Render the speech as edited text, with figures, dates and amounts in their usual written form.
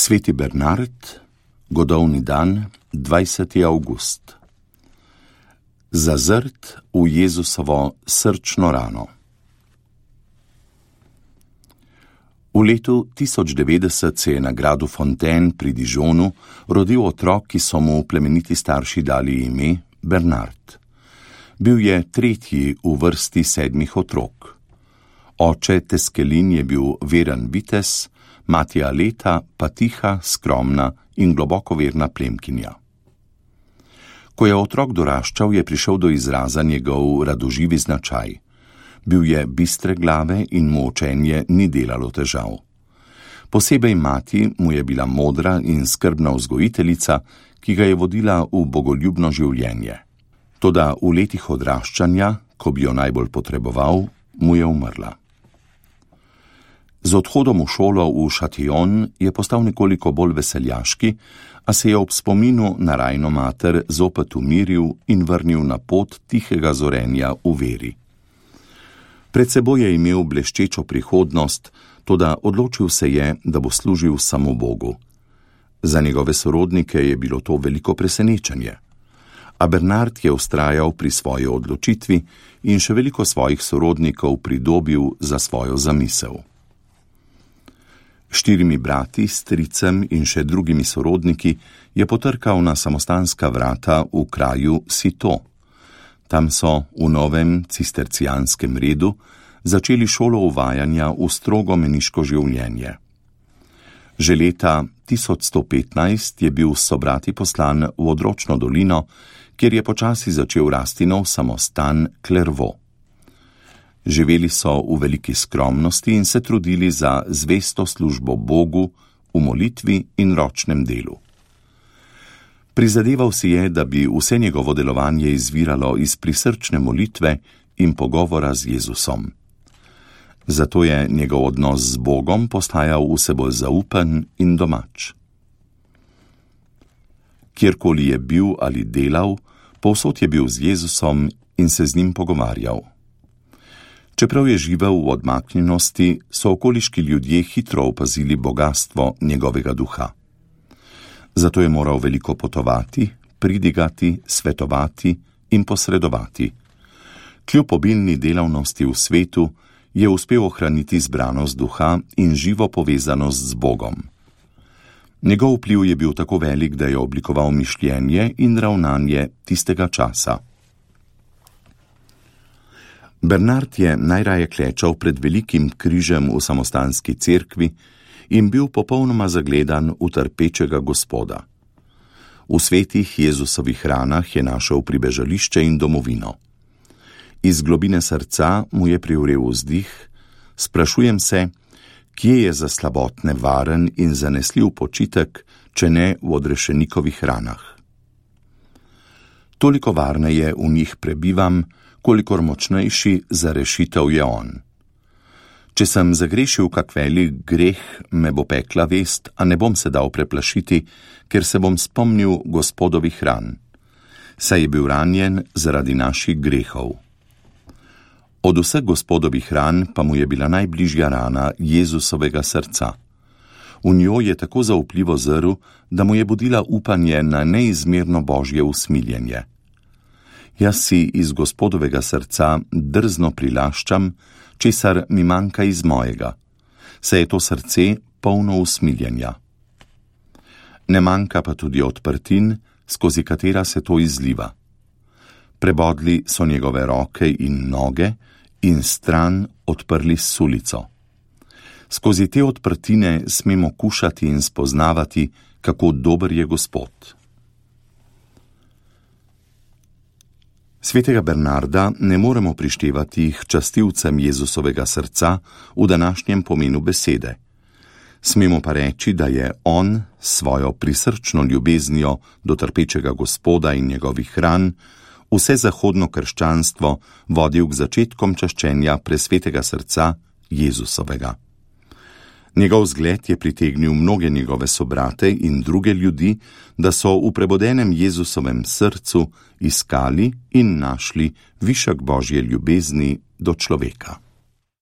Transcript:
Sveti Bernard, godovni dan, 20. avgust. Zazrt v Jezusovo srčno rano. V letu 1090 se je na gradu Fontaine pri Dijonu rodil otrok, ki so mu plemeniti starši dali ime Bernard. Bil je tretji v vrsti 7 otrok. Oče Teskelin je bil veren vitez, mati Aleta pa tiha, skromna in globoko verna plemkinja. Ko je otrok doraščal, je prišel do izraza njegov radoživi značaj. Bil je bistre glave in mu učenje ni delalo težav. Posebej mati mu je bila modra in skrbna vzgojiteljica, ki ga je vodila v bogoljubno življenje. Toda v letih odraščanja, ko bi jo najbolj potreboval, mu je umrla. Z odhodom v šolo v Châtillon je postal nekoliko bolj veseljaški, a se je ob spominu na rajno mater zopet umiril in vrnil na pot tihega zorenja v veri. Pred seboj je imel bleščečo prihodnost, toda odločil se je, da bo služil samo Bogu. Za njegove sorodnike je bilo to veliko presenečenje. A Bernard je vztrajal pri svoji odločitvi in še veliko svojih sorodnikov pridobil za svojo zamisel. 4 brati, stricem in še drugimi sorodniki je potrkal na samostanska vrata v kraju Citeaux. Tam so v novem cistercijanskem redu začeli šolo uvajanja v strogo meniško življenje. Že leta 1115 je bil s sobrati poslan v odročno dolino, kjer je počasi začel rasti nov samostan Clairvaux. Živeli so v veliki skromnosti in se trudili za zvesto službo Bogu v molitvi in ročnem delu. Prizadeval si je, da bi vse njegovo delovanje izviralo iz prisrčne molitve in pogovora z Jezusom. Zato je njegov odnos z Bogom postajal vse bolj zaupen in domač. Kjerkoli je bil ali delal, povsod je bil z Jezusom in se z njim pogovarjal. Čeprav je živel v odmaknjenosti, so okoliški ljudje hitro opazili bogastvo njegovega duha. Zato je moral veliko potovati, pridigati, svetovati in posredovati. Kljub obilni delavnosti v svetu je uspel ohraniti zbranost duha in živo povezanost z Bogom. Njegov vpliv je bil tako velik, da je oblikoval mišljenje in ravnanje tistega časa. Bernard je najraje klečal pred velikim križem v samostanski cerkvi in bil popolnoma zagledan v trpečega Gospoda. V svetih Jezusovih ranah je našel pribežališče in domovino. Iz globine srca mu je privrel vzdih, sprašujem se, kje je za slabotne varen in zanesljiv počitek, če ne v odrešenikovih ranah. Toliko varneje v njih prebivam, kolikor močnejši za rešitev je on. Če sem zagrešil kak velik greh, me bo pekla vest, a ne bom se dal preplašiti, ker se bom spomnil Gospodovih ran. Saj je bil ranjen zaradi naših grehov. Od vseh Gospodovih ran pa mu je bila najbližja rana Jezusovega srca. V njo je tako zaupljivo zrl, da mu je budila upanje na neizmerno Božje usmiljenje. Jaz si iz Gospodovega srca drzno prilaščam, česar mi manjka iz mojega, saj je to srce polno usmiljenja. Ne manjka pa tudi odprtin, skozi katera se to izliva. Prebodli so njegove roke in noge in stran odprli sulico. Skozi te odprtine smemo kušati in spoznavati, kako dober je Gospod. Svetega Bernarda ne moremo prištevati k častilcem Jezusovega srca v današnjem pomenu besede. Smemo pa reči, da je on svojo prisrčno ljubeznijo do trpečega Gospoda in njegovih ran vse zahodno krščanstvo vodil k začetkom čaščenja presvetega srca Jezusovega. Njegov zgled je pritegnil mnoge njegove sobrate in druge ljudi, da so v prebodenem Jezusovem srcu iskali in našli višek Božje ljubezni do človeka.